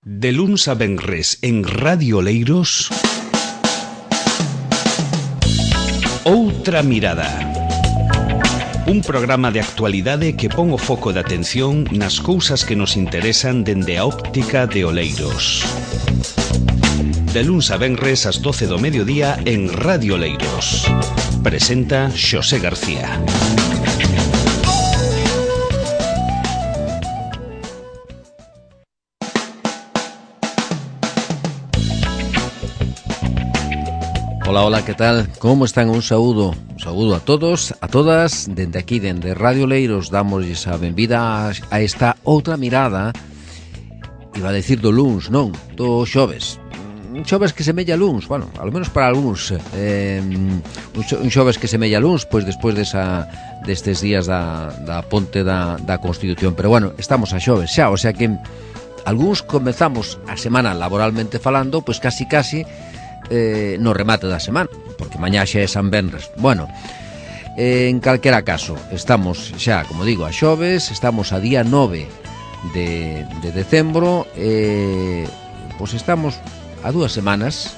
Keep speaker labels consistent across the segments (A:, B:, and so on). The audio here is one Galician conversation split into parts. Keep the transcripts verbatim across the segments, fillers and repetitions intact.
A: De luns a venres en Radio Oleiros, Outra Mirada. Un programa de actualidade que pon o foco de atención nas cousas que nos interesan dende a óptica de Oleiros. De luns a venres ás doce do mediodía en Radio Oleiros. Presenta Xosé García.
B: Hola, hola, ¿qué tal? ¿Cómo están? Un saúdo, un saúdo a todos, a todas. Dende aquí, dende Radio Oleiros, damos a benvida a esta outra mirada. Iba a decir do luns, non, do xoves. Un xoves que semella luns, bueno, ao menos para algúns. Eh, un xoves que semella luns, pois despois desa, destes días da, da ponte da, da Constitución. Pero bueno, estamos a xoves xa, o sea que algúns comezamos a semana laboralmente falando, pois casi casi Eh, no remate da semana, porque mañá xa é San Venres. Bueno, eh, en calquera caso, estamos xa, como digo, a xoves, estamos a día nove de, de decembro, eh, pois estamos a dúas semanas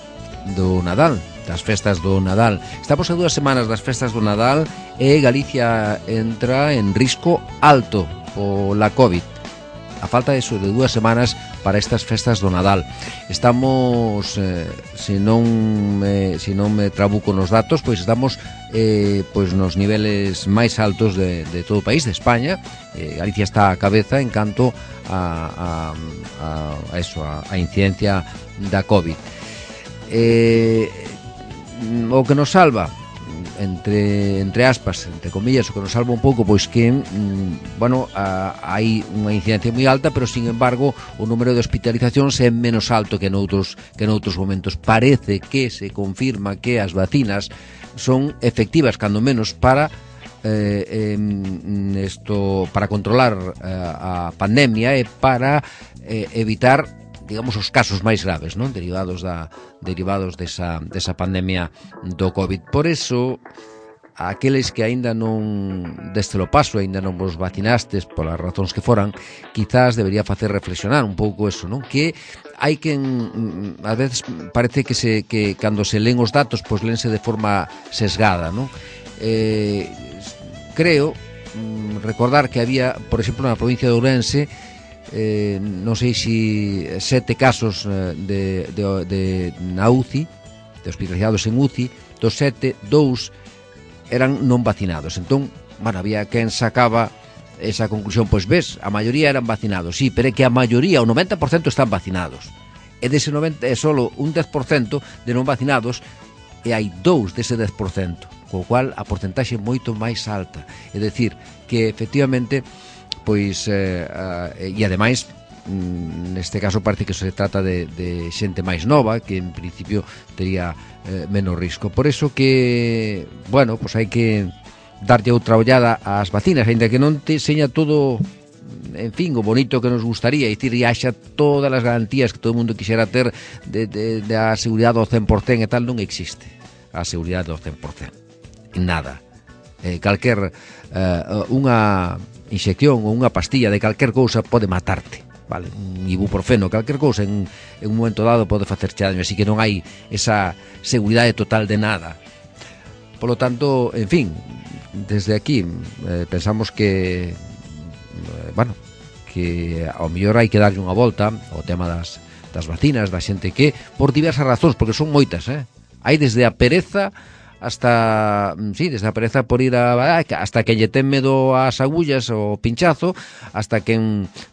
B: do Nadal, das festas do Nadal. Estamos a dúas semanas das festas do Nadal e Galicia entra en risco alto pola COVID. A falta de, eso, de dúas semanas para estas festas do Nadal. Estamos, eh, se non me, se non me trabuco nos datos, pois estamos eh, pois nos niveles máis altos de, de todo o país, de España. eh, Galicia está a cabeza en canto a, a, a, a eso, a, a incidencia da COVID. eh, O que nos salva, entre entre aspas, entre comillas, o que nos salva un pouco, pois que mmm, bueno, a, hai unha incidencia moi alta, pero sin embargo o número de hospitalizacións é menos alto que noutros que noutros momentos. Parece que se confirma que as vacinas son efectivas, cando menos para eh, eh, esto, para controlar eh, a pandemia e para eh, evitar, digamos, os casos máis graves, non? Derivados da derivados desa desa pandemia do COVID. Por eso, aqueles que aínda non deste lo paso, aínda non vos vacinastes polas razóns que foran, quizás debería facer reflexionar un pouco eso, non? Que hai que, a veces parece que se que cando se len os datos, pois lense de forma sesgada, non? Eh, creo recordar que había, por exemplo, na provincia de Ourense, Eh, non sei se sete casos de, de, de na U C I, de hospitalizados en U C I, dos sete, dous eran non vacinados. Entón, bueno, había quen sacaba esa conclusión, pois ves, a maioría eran vacinados, sí, pero é que a maioría, o noventa por cento están vacinados, e dese noventa é solo un dez por cento de non vacinados, e hai dous dese dez por cento, co cual a porcentaxe é moito máis alta. É dicir, que efectivamente, pois, eh, eh, e ademais neste caso parece que se trata de, de xente máis nova, que en principio tería eh, menos risco. Por eso que, bueno, pois hai que darlle outra ollada ás vacinas, ainda que non te seña todo, en fin, o bonito que nos gustaría, e dicir, e haxa todas as garantías que todo o mundo quixera ter de, de, de a seguridade ao cen por cento e tal. Non existe a seguridade ao cen por cento, nada. eh, calquer eh, unha inxección ou unha pastilla de calquer cousa pode matarte, vale? Un ibuprofeno, calquer cousa en, en un momento dado pode facerche daño, así que non hai esa seguridade total de nada. Por lo tanto, en fin, desde aquí eh, pensamos que eh, bueno, que ao mellor hai que darlle unha volta ao tema das, das vacinas, da xente que, por diversas razóns, porque son moitas, eh? Hai desde a pereza hasta, sí, desde a pereza por ir a, hasta que lle ten medo ás agullas o pinchazo, hasta que,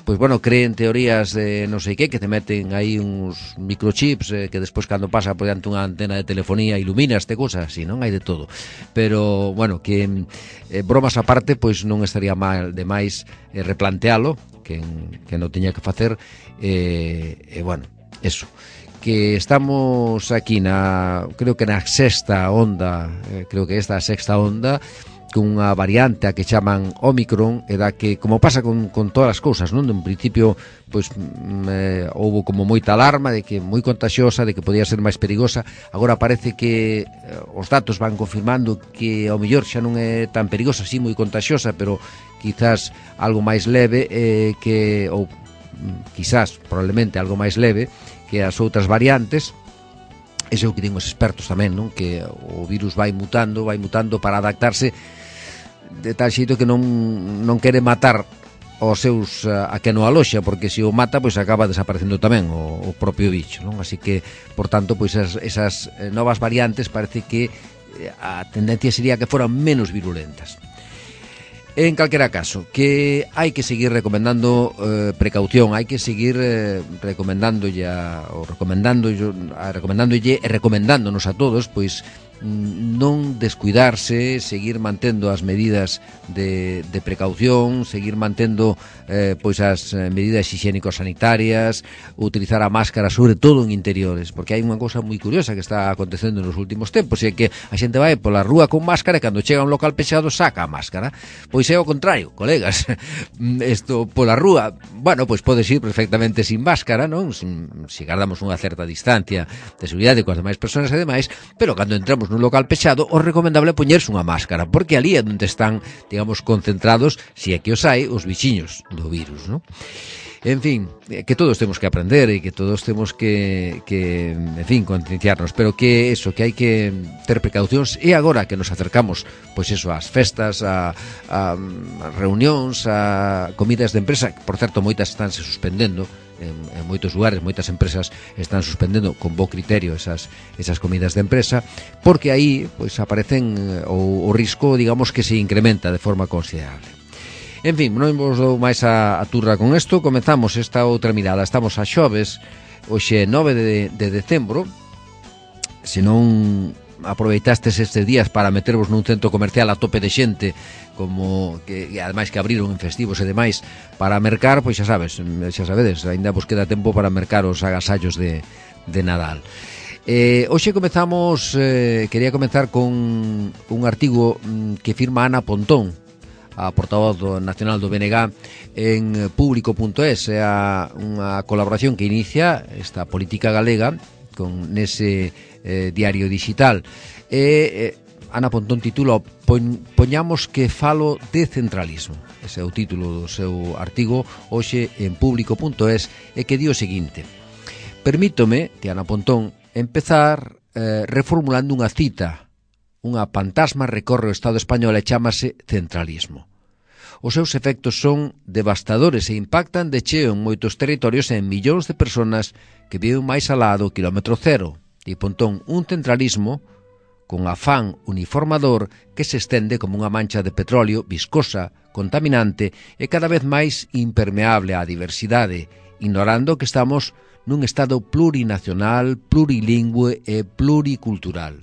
B: pois bueno, creen teorías de non sei que, que te meten aí uns microchips eh, que despois cando pasa por diante unha antena de telefonía ilumina este cousa así, non? Hai de todo. Pero, bueno, que eh, bromas aparte, pois non estaría mal demais eh, replantealo, que, que non teña que facer, e eh, eh, bueno, eso, que estamos aquí na, creo que na sexta onda, eh, creo que esta é a sexta onda, cunha variante a que chaman Omicron, e da que, como pasa con, con todas as cousas, non? En principio, pois, eh, houve como moita alarma de que moi contagiosa, de que podía ser máis perigosa. Agora parece que eh, os datos van confirmando que ao mellor xa non é tan perigosa, así moi contagiosa, pero quizás algo máis leve, eh, que ou quizás, probablemente, algo máis leve que as outras variantes. Ese é o que din os expertos tamén, non? Que o virus vai mutando, vai mutando para adaptarse de tal xeito que non, non quere matar aos seus a que no aloxa, porque se o mata pois acaba desaparecendo tamén o, o propio bicho, non? Así que, por tanto, pois esas, esas novas variantes parece que a tendencia sería que foran menos virulentas. En calquera caso, que hai que seguir recomendando eh, precaución, hai que seguir eh, recomendándolle a, ou recomendándolle, a, recomendándolle e recomendándonos a todos, pois non descuidarse, seguir mantendo as medidas de, de precaución, seguir mantendo eh, pois as medidas higiénico-sanitarias, utilizar a máscara sobre todo en interiores, porque hai unha cousa moi curiosa que está acontecendo nos últimos tempos, e é que a xente vai pola rúa con máscara e cando chega a un local pechado saca a máscara. Pois é o contrario, colegas. Isto pola rúa, bueno, pois podes ir perfectamente sin máscara, non? Sin, se guardamos unha certa distancia de seguridade coas demais persoas e demais, pero cando entramos nun local pechado, o recomendable é poñerse unha máscara, porque ali é onde están, digamos, concentrados, se é que os hai, os bichiños do virus, non? En fin, que todos temos que aprender e que todos temos que, que en fin, concienciarnos, pero que eso, que hai que ter precaucións, e agora que nos acercamos, pois eso, ás festas, a, a, a reunións, a comidas de empresa, que, por certo, moitas estánse suspendendo, en, en moitos lugares, moitas empresas están suspendendo con bo criterio esas, esas comidas de empresa, porque aí pois aparecen o, o risco, digamos, que se incrementa de forma considerable. En fin, non vos dou máis a, a turra con isto. Comezamos esta outra mirada. Estamos a xoves, hoxe nove de, de decembro. Se non aproveitastes estes días para metervos nun centro comercial a tope de xente, como que, que ademais que abriron en festivos e demais para mercar, pois xa sabes, xa sabedes, ainda vos queda tempo para mercar os agasallos de, de Nadal. Eh, hoxe comezamos, eh, quería comezar con un artigo que firma Ana Pontón, a portavoz do nacional do B N G, en público punto es. É unha colaboración que inicia esta política galega con nese eh, diario digital. E eh, Ana Pontón titula Poñ, Poñamos que falo de centralismo. Ese é o título do seu artigo hoxe en público punto es, e que di o seguinte: permítome, de Ana Pontón, empezar eh, reformulando unha cita. Unha pantasma recorre o Estado español e chámase centralismo. Os seus efectos son devastadores e impactan de cheo en moitos territorios e en millóns de personas que viven máis alá do quilómetro cero. E Pontón, un centralismo con afán uniformador que se estende como unha mancha de petróleo viscosa, contaminante e cada vez máis impermeable á diversidade, ignorando que estamos nun Estado plurinacional, plurilingüe e pluricultural.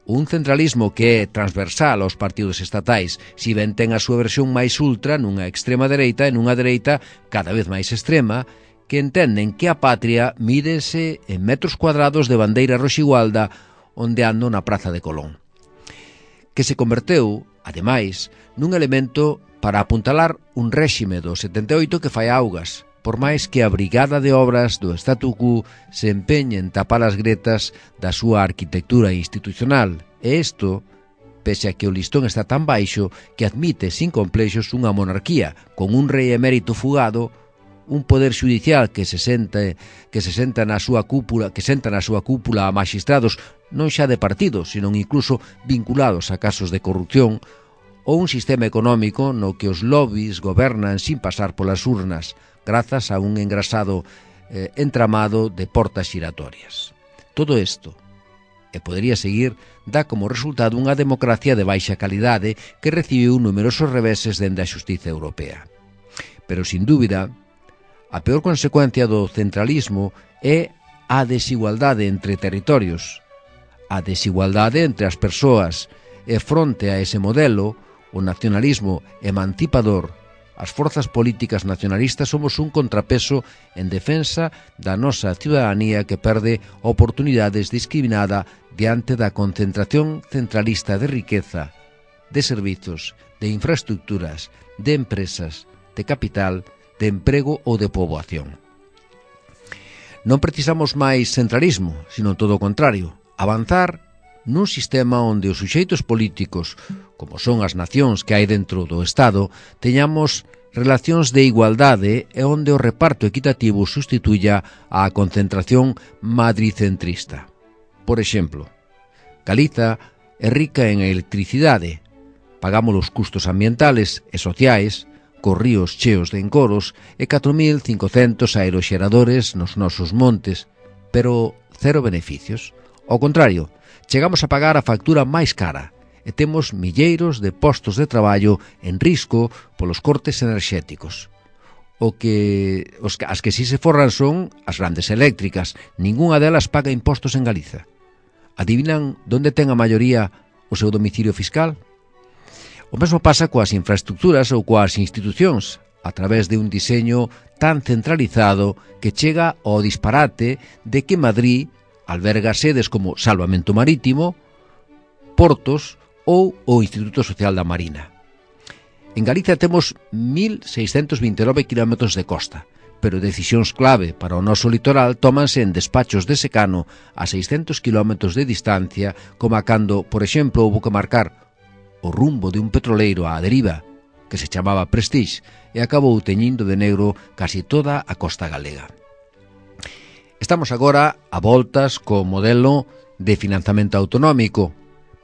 B: Un centralismo que é transversal aos partidos estatais, si ben ten a súa versión máis ultra nunha extrema dereita e nunha dereita cada vez máis extrema, que entenden que a patria mídese en metros cuadrados de bandeira roxigualda ondeando na Praza de Colón. Que se converteu, ademais, nun elemento para apuntalar un réxime do setenta e oito que fai augas, por máis que a brigada de obras do statu quo se empeñe en tapar as gretas da súa arquitectura institucional. E isto, pese a que o listón está tan baixo que admite sin complexos unha monarquía con un rei emérito fugado, un poder xudicial que se senta que se senta na súa cúpula, que senta na súa cúpula a maxistrados non xa de partido, senón incluso vinculados a casos de corrupción, ou un sistema económico no que os lobbies gobernan sin pasar polas urnas, grazas a un engrasado eh, entramado de portas xiratorias. Todo isto, e podería seguir, dá como resultado unha democracia de baixa calidade que recibiu numerosos reveses dende a xustiza europea. Pero, sin dúbida, a peor consecuencia do centralismo é a desigualdade entre territorios, a desigualdade entre as persoas, e fronte a ese modelo, o nacionalismo emancipador, as forzas políticas nacionalistas somos un contrapeso en defensa da nosa ciudadanía que perde oportunidades discriminada diante da concentración centralista de riqueza, de servizos, de infraestructuras, de empresas, de capital, de emprego ou de poboación. Non precisamos máis centralismo, sino todo o contrario, avanzar nun sistema onde os suxeitos políticos, como son as nacións que hai dentro do Estado, teñamos relacións de igualdade e onde o reparto equitativo sustituya a concentración madricentrista. Por exemplo, Galiza é rica en electricidade, pagamos os custos ambientales e sociais, cos ríos cheos de encoros e catro mil cincocentos aeroxeradores nos nosos montes, pero cero beneficios. Ao contrario, chegamos a pagar a factura máis cara e temos milleiros de postos de traballo en risco polos cortes enerxéticos. O que, os, as que si se forran son as grandes eléctricas. Ningunha delas paga impostos en Galiza. Adivinan donde ten a maioría o seu domicilio fiscal? O mesmo pasa coas infraestructuras ou coas institucións, a través de un diseño tan centralizado que chega ao disparate de que Madrid alberga sedes como Salvamento Marítimo, portos ou o Instituto Social da Marina. En Galicia temos mil seiscentos vinte e nove kilómetros de costa, pero decisións clave para o noso litoral tómanse en despachos de secano a seiscentos kilómetros de distancia, como a cando, por exemplo, houbo que marcar o rumbo de un petroleiro á deriva, que se chamaba Prestige, e acabou teñindo de negro casi toda a costa galega. Estamos agora a voltas co modelo de financiamento autonómico,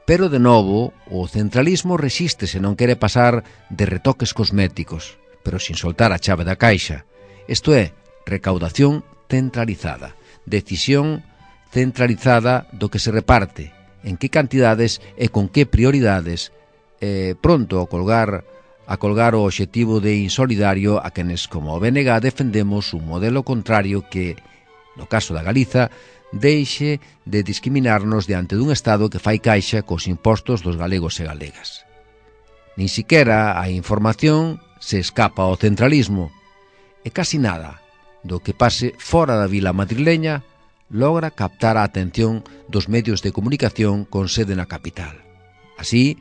B: pero, de novo, o centralismo resiste se non quere pasar de retoques cosméticos, pero sin soltar a chave da caixa. Isto é, recaudación centralizada, decisión centralizada do que se reparte, en que cantidades e con que prioridades, eh, pronto a colgar, a colgar o obxectivo de insolidario a quenes, como o B N G, defendemos un modelo contrario que, no caso da Galiza, deixe de discriminarnos diante dun Estado que fai caixa cos impostos dos galegos e galegas. Nin siquera a información se escapa ao centralismo, e casi nada do que pase fora da vila madrileña logra captar a atención dos medios de comunicación con sede na capital. Así,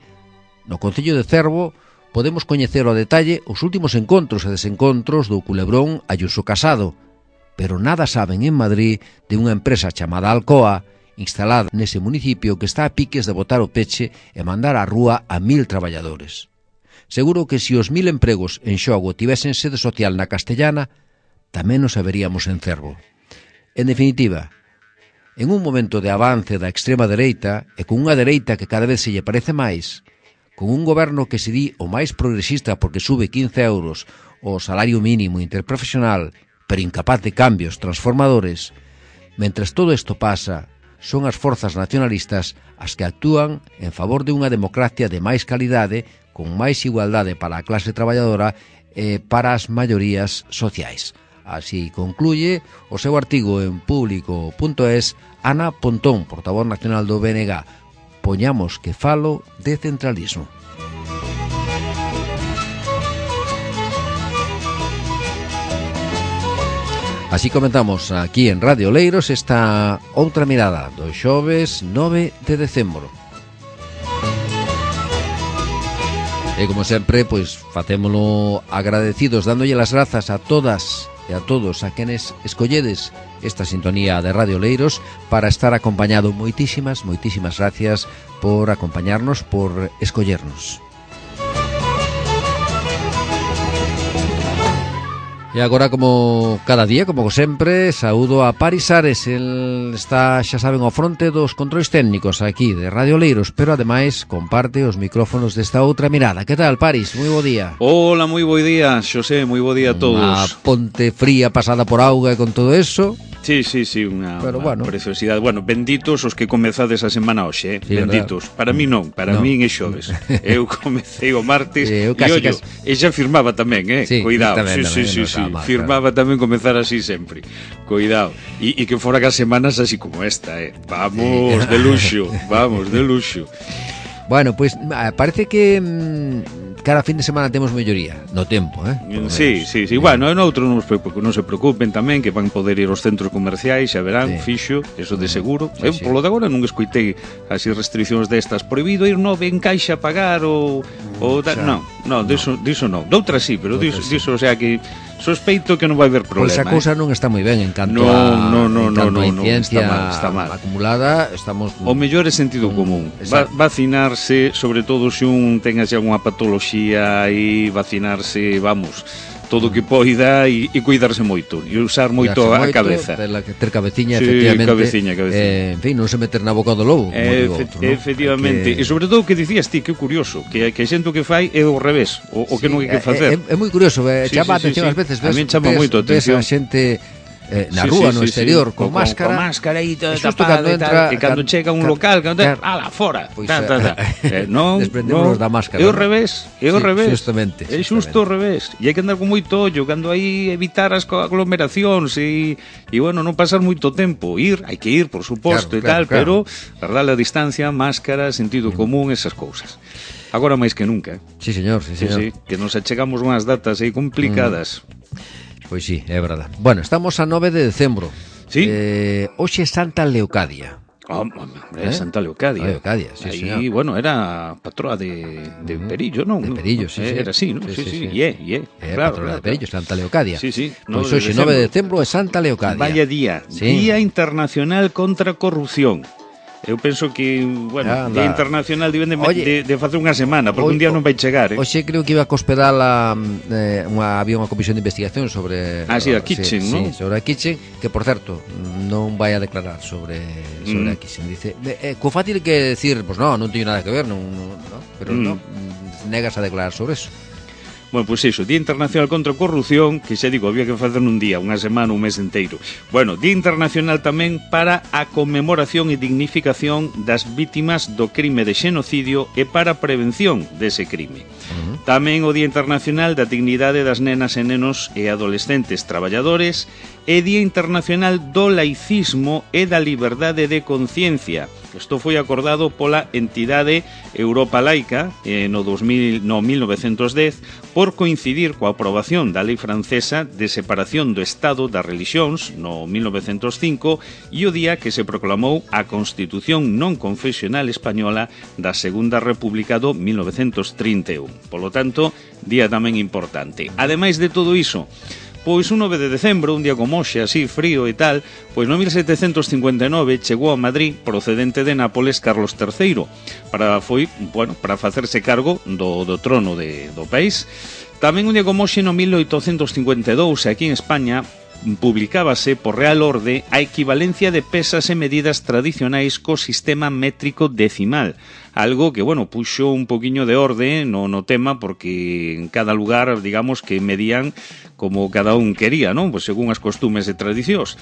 B: no concello de Cervo podemos coñecer ao detalle os últimos encontros e desencontros do culebrón Ayuso Casado, pero nada saben en Madrid de unha empresa chamada Alcoa, instalada nese municipio, que está a piques de botar o peche e mandar á rúa a mil traballadores. Seguro que se os mil empregos en xogo tivesen sede social na Castellana, tamén nos veríamos en Cervo. En definitiva, en un momento de avance da extrema dereita, e con unha dereita que cada vez se lle parece máis, con un goberno que se di o máis progresista porque sube quince euros o salario mínimo interprofesional, pero incapaz de cambios transformadores, mentres todo isto pasa, son as forzas nacionalistas as que actúan en favor de unha democracia de máis calidade, con máis igualdade para a clase traballadora e para as maiorías sociais. Así concluye o seu artigo en público punto es Ana Pontón, portavoz nacional do B N G. Poñamos que falo de centralismo. Así comentamos aquí en Radio Oleiros esta outra mirada do xoves nove de decembro. E como sempre, pois facémolo agradecidos, dándolle as grazas a todas e a todos a quenes escolledes esta sintonía de Radio Oleiros para estar acompañado. Moitísimas, moitísimas gracias por acompañarnos, por escollernos. E agora, como cada día, como sempre, saúdo a Paris Ares. El está, xa saben, ao fronte dos controis técnicos aquí de Radio Oleiros, pero ademais comparte os micrófonos desta outra mirada. Que tal, Paris? Moi bo día.
C: Hola, moi bo día, Xosé, moi bo día a todos.
B: Unha ponte fría pasada por auga e con todo eso.
C: Sí, sí, sí, unha,
B: Pero,
C: unha
B: bueno.
C: preciosidade. Bueno, benditos os que comezades a semana hoxe, eh?
B: Sí,
C: benditos.
B: verdad.
C: Para mí non, para
B: No.
C: mí é xoves. Eu comecei o martes
B: Eh, eu
C: e
B: casi,
C: ollo,
B: casi.
C: e xa firmaba tamén, eh?
B: Sí,
C: Cuidado,
B: tamén,
C: sí,
B: tamén,
C: sí,
B: non
C: sí,
B: está
C: sí.
B: mal,
C: Firmaba tamén comezar así sempre. Cuidado. E, e que fora as semanas así como esta, eh? Vamos,
B: Sí.
C: de luxo, vamos, de luxo.
B: Bueno, pois pues, parece que mmm, cada fin de semana temos melloría no tempo, eh? Por lo
C: Sí,
B: menos.
C: sí, sí. Bueno, en outro non, non se preocupen tamén, que van poder ir aos centros comerciais, xa verán,
B: Sí.
C: fixo, eso de seguro.
B: Sí,
C: Eu,
B: sí.
C: polo de agora, non escoitei así restriccións destas. Prohibido ir nove en caixa a pagar ou... ou da...
B: xa.
C: Non, non, diso, diso non. Doutras sí, pero diso,
B: Doutras sí.
C: diso, o sea que sospeito que non vai haber problema.
B: Pois a cousa non está moi ben en canto
C: no,
B: a
C: no, no,
B: en canto
C: no,
B: a
C: no,
B: incidencia
C: está mal, está mal.
B: acumulada, estamos
C: o mellor é sentido común. Va, vacinarse, sobre todo se un ten así algunha patoloxía, e vacinarse, vamos, todo o que poida e, e cuidarse moito e usar moito a
B: moito,
C: cabeza.
B: Ter, ter cabeciña,
C: sí,
B: efectivamente.
C: Cabeciña, cabeciña.
B: Eh, en fin, non se meter na boca do lobo,
C: eh,
B: como digo outro, ¿no?
C: Efectivamente,
B: que...
C: e sobre todo o que dicías ti, que é curioso, que que xento que fai é o revés, o, o que sí, non hai que facer.
B: É, é, é moi curioso, eh,
C: sí,
B: chama
C: sí,
B: atención
C: sí,
B: ás veces,
C: sí.
B: ves,
C: A mí chama
B: ves,
C: moito atención.
B: ves a xente Eh, na
C: sí,
B: rúa,
C: sí,
B: no
C: sí,
B: exterior,
C: sí.
B: con,
C: con
B: máscara.
C: Con máscara e todo
B: xusto
C: tapado
B: cando
C: e tal,
B: entra,
C: e cando
B: can,
C: chega un
B: can,
C: local, cando
B: can,
C: ala, fora.
B: Pois,
C: ta, ta, ta. eh, non,
B: desprendémonos
C: non,
B: da máscara.
C: É o revés, é o
B: sí,
C: revés.
B: Justamente.
C: É xusto o revés. E hai que andar con moito ollo, cando aí evitar as aglomeracións e, e bueno, non pasar moito tempo. Ir, hai que ir, por suposto,
B: claro,
C: e tal,
B: claro,
C: pero guardar a distancia, máscara, sentido mm. común, esas cousas. Agora máis que nunca.
B: Sí, señor, sí, señor.
C: Sí, sí, que nos achegamos unhas datas aí complicadas.
B: Mm. Pois sí, é verdade. Bueno, estamos a nove de decembro.
C: Sí.
B: Eh, hoxe Santa Leocadia.
C: Oh, hombre, ¿Eh? Santa Leocadia.
B: Leocadia, sí,
C: Ahí,
B: señor.
C: Bueno, era patroa de, de uh -huh. Perillo, ¿no?
B: De Perillo, sí,
C: Era
B: sí.
C: así, ¿no?
B: Sí, sí, sí.
C: Sí, sí. Yeah, yeah.
B: Eh,
C: claro,
B: patrona
C: claro,
B: de Perillo, Santa Leocadia.
C: Sí, sí.
B: Pois hoxe, nove de decembro, é Santa Leocadia.
C: Vaya día. Sí. Día Internacional contra a Corrupción. Eu penso que, bueno, Anda. Día Internacional deben de, Oye, de, de facer unha semana, porque o, un día non vai chegar, eh?
B: Hoxe creo que iba a cospedar a, eh, unha, había unha comisión de investigación sobre...
C: Ah, sí, a Kitchen,
B: sí,
C: ¿no?
B: Sí, sobre a Kitchen, que, por certo, non vai a declarar sobre, sobre mm. a Kitchen. Dice, eh, co fácil que decir, pues no, non teño nada que ver, non, non, no, pero mm. no, negas a declarar sobre eso.
C: Bueno, pois pues iso, Día Internacional contra a Corrupción, que xa digo, había que facer nun día, unha semana, un mes inteiro. Bueno, Día Internacional tamén para a conmemoración e dignificación das vítimas do crime de xenocidio e para a prevención dese crime. Uh-huh. Tamén o Día Internacional da Dignidade das Nenas e Nenos e Adolescentes Traballadores e Día Internacional do Laicismo e da Liberdade de Conciencia. Isto foi acordado pola entidade Europa Laica eh, no, dos mil, no mil novecentos dez por coincidir coa aprobación da lei francesa de separación do Estado das religións no mil novecentos cinco e o día que se proclamou a Constitución non confesional española da Segunda República do mil novecentos trinta e un. Polo tanto, día tamén importante. Ademais de todo iso, pois un nove de decembro, un día como hoxe, así frío e tal, pois no mil setecentos cincuenta e nove chegou a Madrid, procedente de Nápoles, Carlos terceiro, para foi, bueno, para facerse cargo do, do trono de, do país. Tamén un día como hoxe, no mil oitocentos cincuenta e dous, aquí en España, publicábase por Real Orde a equivalencia de pesas e medidas tradicionais co sistema métrico decimal, algo que, bueno, puxo un poquiño de orde no, no tema, porque en cada lugar, digamos, que medían como cada un quería, non? Pues según as costumes e tradicións.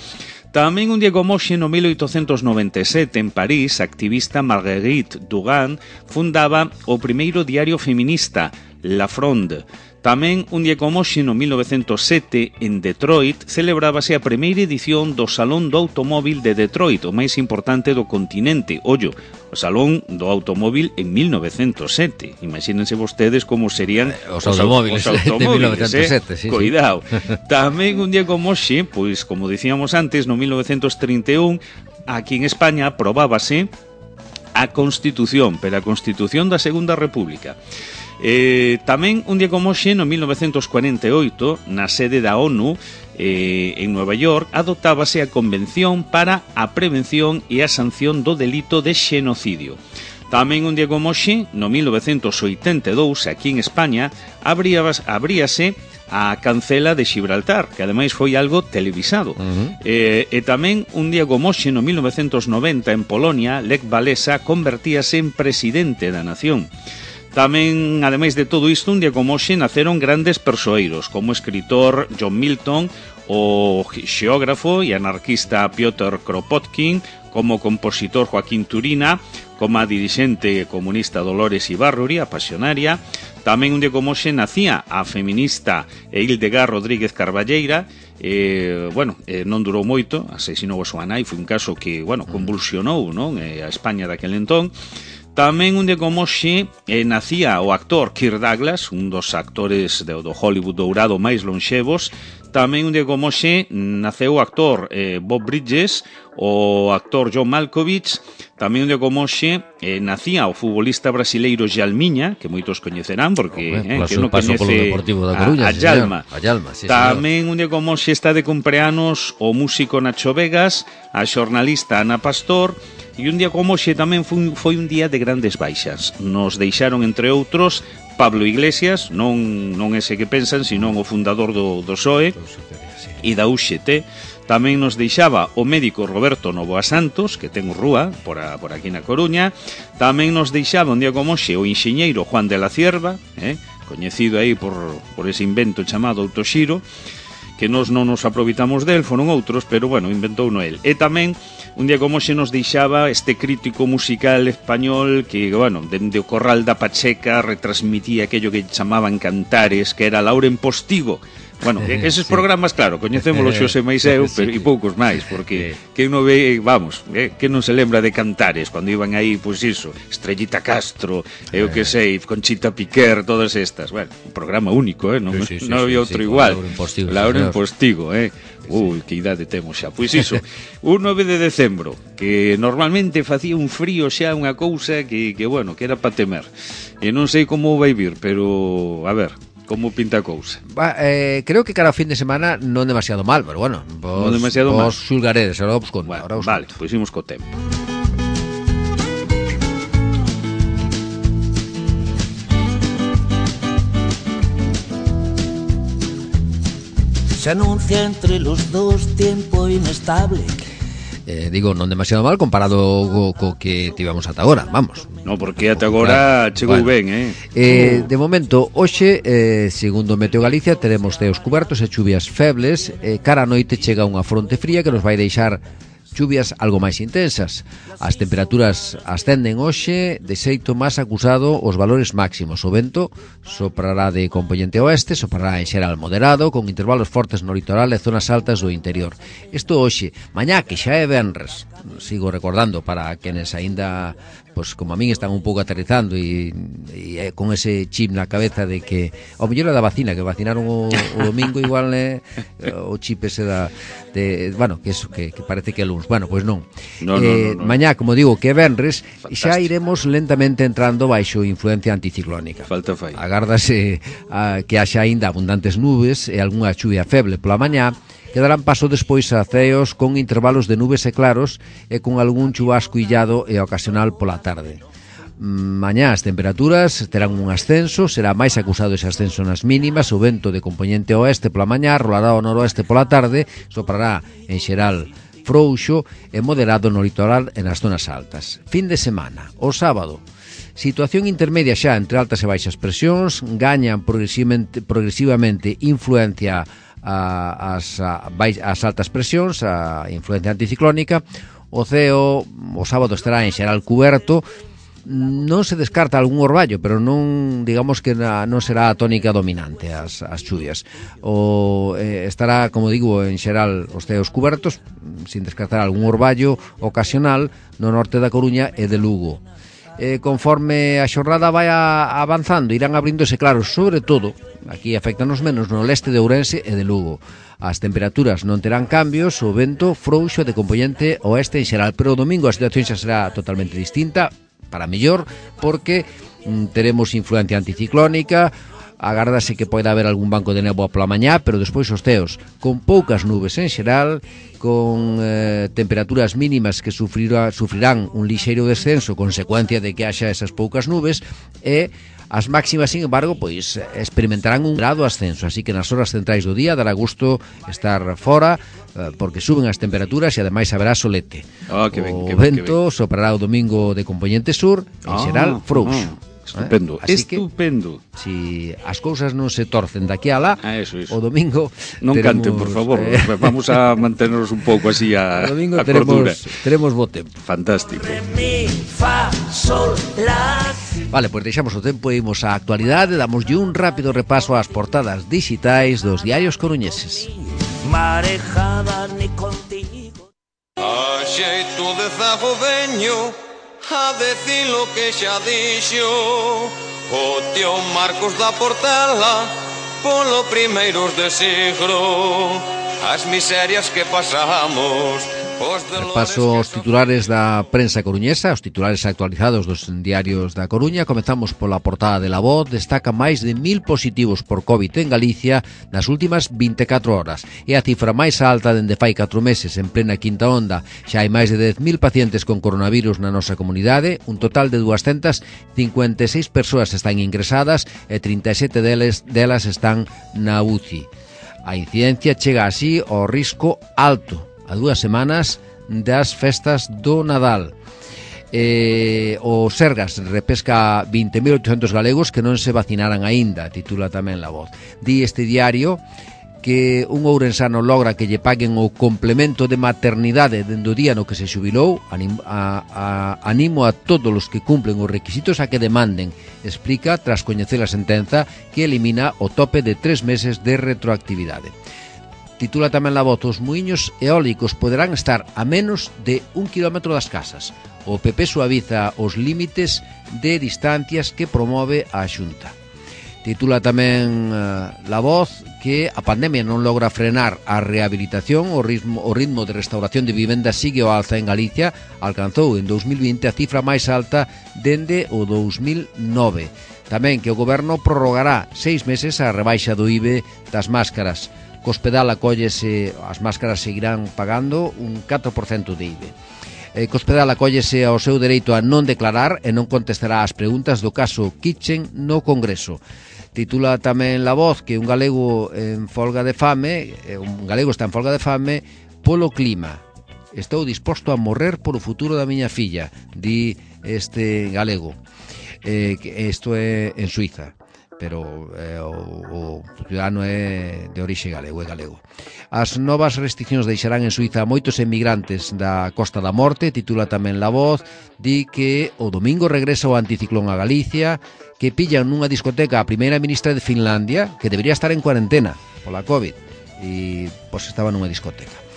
C: Tamén un día como hoxe, no mil oitocentos noventa e sete, en París, a activista Marguerite Dugan fundaba o primeiro diario feminista, La Fronde. Tamén un día como hoxe, no mil novecentos sete, en Detroit, celebrábase a primeira edición do Salón do Automóvil de Detroit, o máis importante do continente. Ollo, o Salón do Automóvil en mil novecentos sete. Imagínense vostedes como serían
B: eh, os, os automóviles, os automóviles de mil novecentos sete, eh? Sí,
C: Cuidado. Sí. Tamén un día como hoxe, pois como dicíamos antes, no mil novecentos trinta e un, aquí en España aprobábase a Constitución, pero a Constitución da Segunda República. Eh, tamén un día como hoxe, no mil novecentos cuarenta e oito, na sede da ONU eh, en Nueva York, adoptábase a Convención para a Prevención e a Sanción do Delito de Xenocidio. Tamén un día como hoxe, no mil novecentos oitenta e dous, aquí en España, abríase, abríase a cancela de Gibraltar, que ademais foi algo televisado. Uh-huh. eh, e tamén un día como hoxe, no mil novecentos noventa, en Polonia, Lech Walesa convertíase en presidente da nación. Tamén, ademais de todo isto, un día como hoxe naceron grandes persoeiros, como o escritor John Milton, o xeógrafo e anarquista Piotr Kropotkin, como o compositor Joaquín Turina, como a dirixente comunista Dolores Ibarruri, a pasionaria. Tamén un día como hoxe nacía a feminista Hildegard Rodríguez Carballeira. Eh, bueno, eh, non durou moito, asesinou a súa nai, foi un caso que, bueno, convulsionou, non, eh, a España daquel entón. Tamén un día como hoxe eh, nacía o actor Kirk Douglas, un dos actores do, do Hollywood dourado máis lonxevos. Tamén un día como hoxe naceu o actor eh, Bob Bridges, o actor John Malkovich. Tamén un día como hoxe eh, nacía o futbolista brasileiro Jalmiña, que moitos coñecerán, porque
B: oh,
C: eh,
B: paso,
C: que non
B: paso
C: coñece
B: da Coruña,
C: a, a Jalma.
B: A Jalma sí,
C: Tamén un día como hoxe está de cumpleanos o músico Nacho Vegas, a xornalista Ana Pastor. E un día como hoxe tamén foi, foi un día de grandes baixas. Nos deixaron, entre outros, Pablo Iglesias, non non ese que pensan, sino o fundador do, do P S O E e da U X T. Tamén nos deixaba o médico Roberto Novoa Santos, que ten o rúa por, a, por aquí na Coruña. Tamén nos deixaba un día como hoxe o enxeñeiro Juan de la Cierva, eh, coñecido aí por, por ese invento chamado autoxiro, que nós non nos aproveitamos del, foron outros, pero bueno, inventou no el. E tamén un día como hoxe nos deixaba este crítico musical español que, bueno, dende o Corral da Pacheca retransmitía aquello que chamaban cantares, que era Lauren Postigo. Bueno, eh, eses sí. programas, claro, coñecémolo Xosé máis eu, pero e poucos máis, porque que non ve, vamos, eh, que non se lembra de cantares cando iban aí, pois iso, Estrellita Castro, eu que sei, Conchita Piquer, todas estas. Bueno, un programa único, eh, non, sí, sí, non había sí, outro sí, igual.
B: Lauren Postigo,
C: Lauren Postigo, eh. Ui, que idade temos xa. Pois iso, un nove de decembro, que normalmente facía un frío xa, unha cousa que, que bueno, que era para temer. E non sei como vai vir, pero, a ver, como pinta a cousa?
B: Va, eh, creo que cada fin de semana non demasiado mal, pero bueno, vos,
C: non demasiado
B: vos
C: mal.
B: xulgaredes, ahora vos conto.
C: Bueno,
B: ahora vos
C: vale,
B: conto.
C: pois imos co tempo.
D: Se anuncia entre los dos tiempo inestable.
B: Eh, digo, non demasiado mal comparado co, co que tivemos ata agora, vamos.
C: No, porque ata agora chegou
B: bueno.
C: ben, eh?
B: eh De momento, hoxe, eh, segundo Meteo Galicia, teremos ceos cubertos e chuvias febles. eh, Cara a noite chega unha fronte fría que nos vai deixar chuvias algo máis intensas. As temperaturas ascenden hoxe de xeito máis acusado os valores máximos. O vento soprará de componente oeste, soprará en xeral moderado, con intervalos fortes no litoral e zonas altas do interior. Isto hoxe, mañá que xa é venres, sigo recordando para quenes aínda, pois como a min están un pouco aterrizando e, e con ese chip na cabeza de que ao mellor é da vacina, que vacinaron o, o domingo igual eh, o chip ese da de, bueno, que eso que, que parece que é luns. Bueno, pois non.
C: No,
B: eh,
C: no, no, no.
B: Mañá, como digo, que é venres,
C: Fantástico.
B: xa iremos lentamente entrando baixo influencia anticiclónica.
C: Falta fai.
B: Agárdase a, que haxa aínda abundantes nubes e algunha chuvia feble pola mañá, que darán paso despois a ceos con intervalos de nubes e claros e con algún chubasco illado e ocasional pola tarde. Mañá as temperaturas terán un ascenso, será máis acusado ese ascenso nas mínimas, o vento de componente oeste pola mañá, rolará ao noroeste pola tarde, soprará en xeral frouxo e moderado no litoral e nas zonas altas. Fin de semana, o sábado, situación intermedia xa entre altas e baixas presións, gañan progresivamente, progresivamente influencia a, as, a, as altas presións, a influencia anticiclónica. O ceo o sábado estará en xeral cuberto. Non se descarta algún orballo, pero non, digamos que na, non será a tónica dominante as, as chuvias. O eh, estará, como digo, en xeral os ceos cubertos, sin descartar algún orballo ocasional no norte da Coruña e de Lugo. Eh, conforme a xornada vai a, avanzando, irán abríndose claros, sobre todo, aquí afectanos menos no leste de Ourense e de Lugo. As temperaturas non terán cambios, o vento frouxo de componente oeste en xeral, pero o domingo a situación xa será totalmente distinta, para mellor, porque mm, teremos influencia anticiclónica, agárdase que poida haber algún banco de néboa pola mañá, pero despois os ceos con poucas nubes en xeral, con eh, temperaturas mínimas que sufrirá, sufrirán un lixeiro descenso consecuencia de que haxa esas poucas nubes, e as máximas, sin embargo, pois experimentarán un grado ascenso, así que nas horas centrais do día dará gusto estar fora, eh, porque suben as temperaturas e ademais haberá solete.
C: Oh, que ben,
B: o
C: que ben,
B: vento que ben. Soprará o domingo de componente sur, en
C: ah,
B: xeral frouxo.
C: Ah. Estupendo,
B: eh?
C: estupendo.
B: Que, si as cousas non se torcen daqui a lá,
C: ah, eso, eso.
B: o domingo
C: non
B: teremos,
C: canten, por favor,
B: eh,
C: vamos a mantenernos un pouco así a,
B: o domingo
C: a
B: teremos,
C: cordura.
B: Teremos bo tempo.
C: Fantástico.
B: Vale, pois pues deixamos o tempo e imos á actualidade, damoslle un rápido repaso ás portadas digitais dos diarios coruñeses.
D: Marejada ni contigo.
E: A xeito de zagodeño, a decir lo que xa dixo o tío Marcos da Portela, polo primeiros de siglo, as miserias que pasamos.
B: Paso os titulares da prensa coruñesa, os titulares actualizados dos diarios da Coruña. Comezamos pola portada de La Voz. Destaca máis de mil positivos por COVID en Galicia nas últimas vinte e catro horas. É a cifra máis alta dende fai catro meses en plena quinta onda. Xa hai máis de dez mil pacientes con coronavirus na nosa comunidade. Un total de doscientas cincuenta e seis persoas están ingresadas e trinta e sete delas, delas están na U C I. A incidencia chega así ao risco alto a dúas semanas das festas do Nadal. Eh, o Sergas repesca vinte mil oitocentos galegos que non se vacinaran aínda, titula tamén La Voz. Di este diario que un ourensano logra que lle paguen o complemento de maternidade dende o día no que se xubilou. Animo a, a, animo a todos os que cumplen os requisitos a que demanden, explica tras coñecer a sentenza que elimina o tope de tres meses de retroactividade. Titula tamén La Voz: os muiños eólicos poderán estar a menos de un kilómetro das casas. O P P suaviza os límites de distancias que promove a Xunta. Titula tamén uh, La Voz que a pandemia non logra frenar a rehabilitación. O ritmo, o ritmo de restauración de vivendas sigue ao alza en Galicia. Alcanzou en dous mil vinte a cifra máis alta dende o dous mil nove. Tamén que o Goberno prorrogará seis meses a rebaixa do I B E das máscaras. Co hospedal acóllese, as máscaras seguirán pagando un catro por cento de I B E. Eh, co hospedal acóllese ao seu dereito a non declarar e non contestará as preguntas do caso Kitchen no Congreso. Titula tamén La Voz que un galego en folga de fame, eh, un galego está en folga de fame polo clima. Estou disposto a morrer polo futuro da miña filla, di este galego. Eh, isto é en Suiza, pero eh, o, o ciudadano é de orixe galego, é galego. As novas restriccións deixarán en Suiza a moitos emigrantes da Costa da Morte, titula tamén La Voz. Di que o domingo regresa o anticiclón a Galicia, que pillan nunha discoteca a primeira ministra de Finlandia, que debería estar en cuarentena pola COVID, e pois estaba nunha discoteca.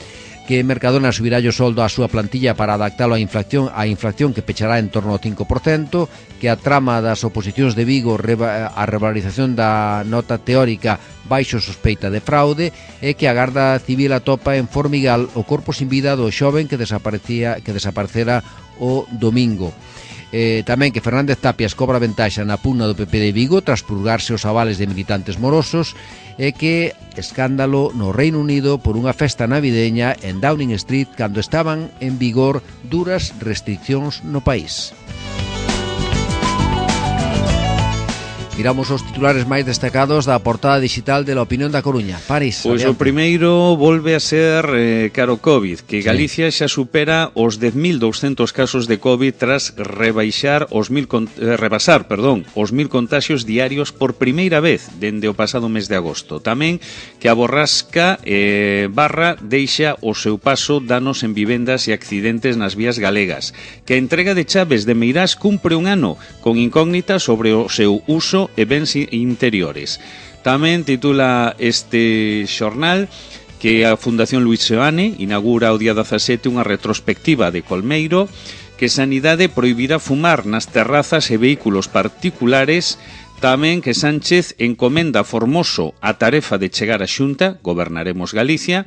B: Que Mercadona subirá o soldo á súa plantilla para adaptalo á inflación, á inflación que pechará en torno ao cinco por cento, que a trama das oposicións de Vigo reba, a revalorización da nota teórica baixo sospeita de fraude, e que a Garda Civil atopa en Formigal o corpo sin vida do xoven que desaparecía que desaparecera o domingo. Eh, tamén que Fernández Tapias cobra ventaxa na pugna do P P de Vigo tras purgarse os avales de militantes morosos, e que escándalo no Reino Unido por unha festa navideña en Downing Street cando estaban en vigor duras restriccións no país. Miramos os titulares máis destacados da portada digital de La Opinión da Coruña. París.
C: Pois o primeiro volve a ser eh, caro COVID, que Galicia sí. xa supera os dez mil douscentos casos de COVID tras rebaixar os mil eh, rebasar, perdón, os mil contaxios diarios por primeira vez dende o pasado mes de agosto. Tamén que a borrasca eh, Barra deixa o seu paso danos en vivendas e accidentes nas vías galegas. Que a entrega de chaves de Meirás cumpre un ano con incógnita sobre o seu uso e bens interiores. Tamén titula este xornal que a Fundación Luis Seoane inaugura o día dezasete unha retrospectiva de Colmeiro, que Sanidade prohibirá fumar nas terrazas e vehículos particulares. Tamén que Sánchez encomenda a Formoso a tarefa de chegar á Xunta, gobernaremos Galicia.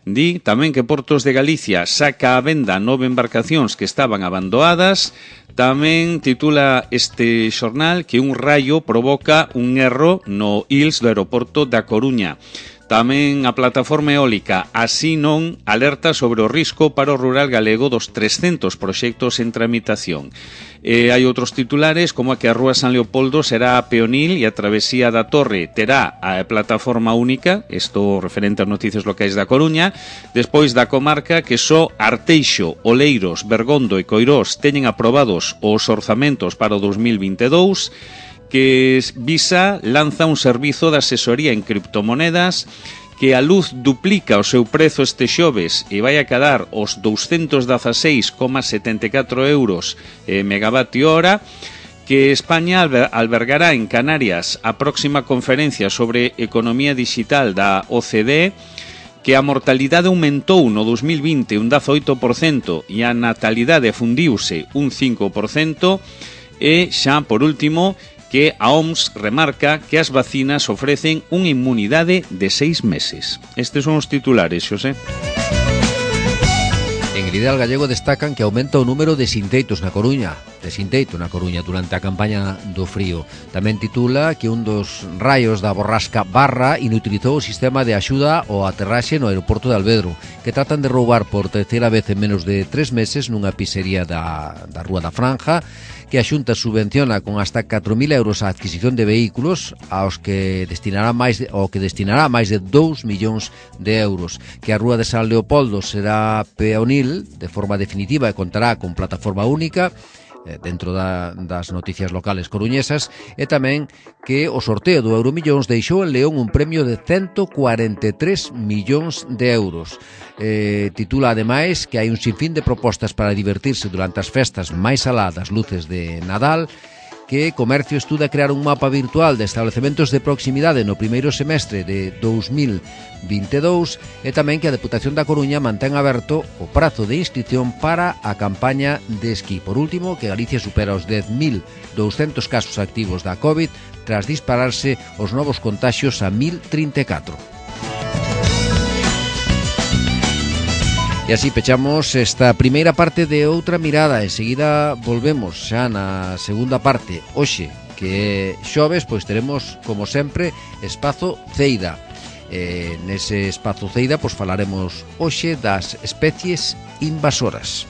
C: Di tamén que Portos de Galicia saca a venda nove embarcacións que estaban abandonadas. Tamén titula este xornal que un raio provoca un erro no I L S do aeroporto da Coruña. Tamén a plataforma eólica Así Non alerta sobre o risco para o rural galego dos trescentos proxectos en tramitación. E hai outros titulares como a que a Rúa San Leopoldo será a peonil e a travesía da Torre terá a plataforma única, isto referente ás noticias locais da Coruña. Despois da comarca que só Arteixo, Oleiros, Bergondo e Coirós teñen aprobados os orzamentos para o dos mil vinte e dous. Que Visa lanza un servizo de asesoría en criptomonedas, que a luz duplica o seu prezo este xoves e vai a quedar os douscentos dezaseis coma setenta e catro euros eh, megavatio hora, que España albergará en Canarias a próxima conferencia sobre economía digital da O C D E, que a mortalidade aumentou no dos mil vinte un dezaoito por cento e a natalidade fundiuse un cinco por cento, e xa, por último, que a O M S remarca que as vacinas ofrecen unha inmunidade de seis meses. Estes son os titulares, Xosé.
B: En el Ideal Gallego destacan que aumenta o número de sinteitos na Coruña, de sinteito na Coruña durante a campaña do frío. Tamén titula que un dos raios da borrasca Barra inutilizou o sistema de axuda ao aterraxe no aeroporto de Alvedro, que tratan de roubar por terceira vez en menos de tres meses nunha pizzería da, da Rúa da Franja, que a Xunta subvenciona con hasta catro mil euros a adquisición de vehículos aos que destinará máis de, ao que destinará máis de dous millóns de euros, que a Rúa de San Leopoldo será peonil de forma definitiva e contará con plataforma única dentro da, das noticias locales coruñesas, e tamén que o sorteo do Euromillóns deixou en León un premio de ciento cuarenta e tres millóns de euros. Eh, titula ademais que hai un sinfín de propostas para divertirse durante as festas máis alá das luces de Nadal, que Comercio estuda crear un mapa virtual de establecementos de proximidade no primeiro semestre de dous mil vinte e dous, e tamén que a Deputación da Coruña mantén aberto o prazo de inscripción para a campaña de esquí. Por último, que Galicia supera os dez mil douscentos casos activos da COVID tras dispararse os novos contaxios a mil trinta e catro. E así pechamos esta primeira parte de Outra Mirada. Enseguida volvemos xa na segunda parte. Hoxe, que é xoves, pois teremos, como sempre, Espazo Ceida. E nese Espazo Ceida, pois falaremos hoxe das especies invasoras.